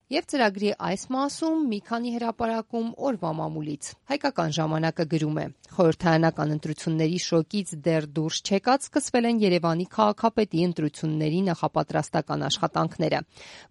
Եվ ծրագրի այս մասում մի քանի հրապարակում օրվա մամուլից։ Հայկական ժամանակը գրում է. խորհրդարանական ընտրությունների շոկից դեռ դուրս չեկած սկսվել են Երևանի քաղաքապետի ընտրությունների նախապատրաստական աշխատանքները։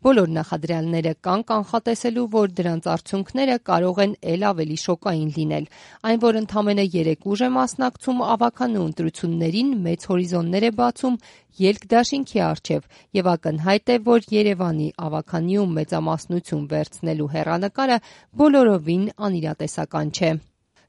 Բոլոր նախադրյալները կան կանխատեսելու, որ դրանց արդյունքները կարող են ել ավելի շոկային լինել։ Այն, որ ընդամենը 3 ուժ է մասնակցում ավականու ընտրություններին, մեծ հորիզոններ է բացում ելք-դաշինքի առջև եւ ակնհայտ է, որ Երևանի ավականիում մեծամասնություն վերցնելու հեռանկարը բոլորովին անիրատեսական չէ։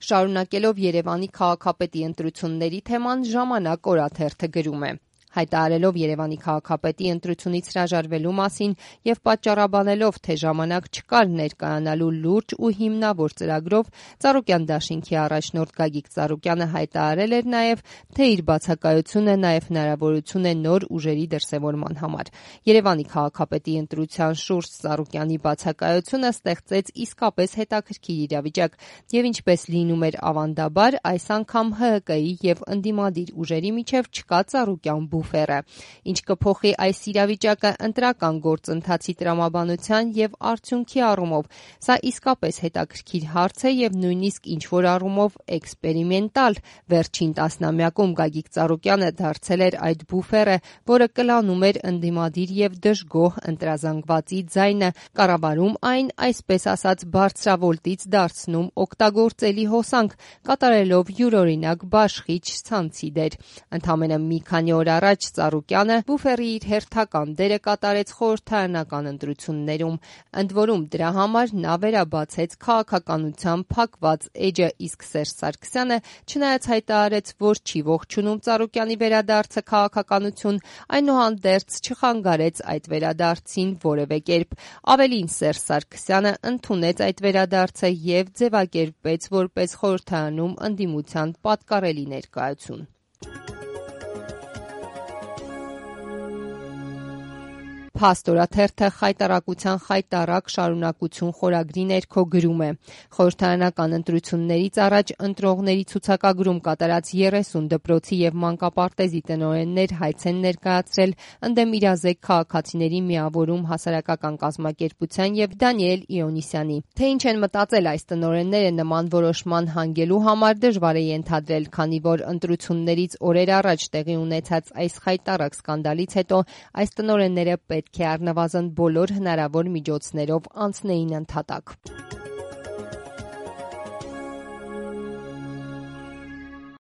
Շարունակելով Երևանի քաղաքապետի ընտրությունների թեման, «Ժամանակ» օրաթերթը գրում է. հայտարարելով Երևանի քաղաքապետի ընտրությունից հրաժարվելու մասին եւ պատճառաբանելով, թե ժամանակ չկար ներկայանալու լուրջ ու հիմնավոր ծրագրով, Ծառուկյան դաշինքի առաջնորդ Գագիկ Ծառուկյանը հայտարարել էր նաեւ, թե իր բացակայությունը նաեւ հնարավորություն է նոր ուժերի դրսեւորման համար։ Երևանի քաղաքապետի ընտրության շուրջ Ծառուկյանի բացակայությունը ստեղծեց իսկապես հետաքրքիր իրավիճակ եւ ինչպես լինում էր ավանդաբար, այս անգամ ՀՀԿ-ի եւ ընդդիմադիր ուժերի միջեւ չկա Ծառուկյան բուֆերը։ Ինչ կփոխի այս իրավիճակը ընտրական գործընթացի տրամաբանության եւ արդյունքի առումով, սա իսկապես հետաքրքիր հարց է եւ նույնիսկ ինչ-որ առումով էքսպերիմենտալ։ Վերջին տասնամյակում Գագիկ Ծառուկյանը դարձել էր այդ բուֆերը, որը կլանում էր ընդդիմադիր եւ դժգոհ ընտրազանգվածի ձայնը, կառավարում այն, այսպես ասած, բարձրավոլտից դարձնում օգտագործելի հոսանք, կատարելով յուրօրինակ բաշխիչ ցանցի դեր։ Ընդամենը մի քանի օր առաջ Ծառուկյանը բուֆերի իր հերթական դերը կատարեց խորհրդարանական ընտրություններում, ընդ որում դրա համար նա վերաբացեց քաղաքականության փակված էջը, իսկ Սերժ Սարգսյանը, չնայած հայտարարեց, որ չի ողջունում Ծառուկյանի վերադարձը քաղաքականություն, այնուհանդերձ չխանգարեց այդ վերադարձին որևէ կերպ։ Ավելին, Սերժ Սարգսյանը ընդունեց այդ վերադարձը եւ ձևակերպեց որպես խորհրդարանում ընդդիմության պատկառելի ներկայություն։ Փաստ օրաթերթը խայտառակության խայտառակ շարունակություն խորագրի ներքո գրում է. խորհրդարանական ընտրություններից առաջ ընտրողների ցուցակագրում կատարած 30 դպրոցի եւ մանկապարտեզի տնօրեններ հայց են ներկայացրել ընդդեմ իրազեկ քաղաքացիների միավորում հասարակական կազմակերպության եւ Դանիել Իոնիսյանի։ Թե ինչ են մտածել այս տնօրենները նման որոշման հանգելու համար դժվար է ենթադրել, քանի որ ընտրություններից օրեր առաջ տեղի ունեցած այս խայտառակ սկանդալից հետո այս տնօրենները պետք է առնվազն բոլոր հնարավոր միջոցներով անցնեին ընդհատակ։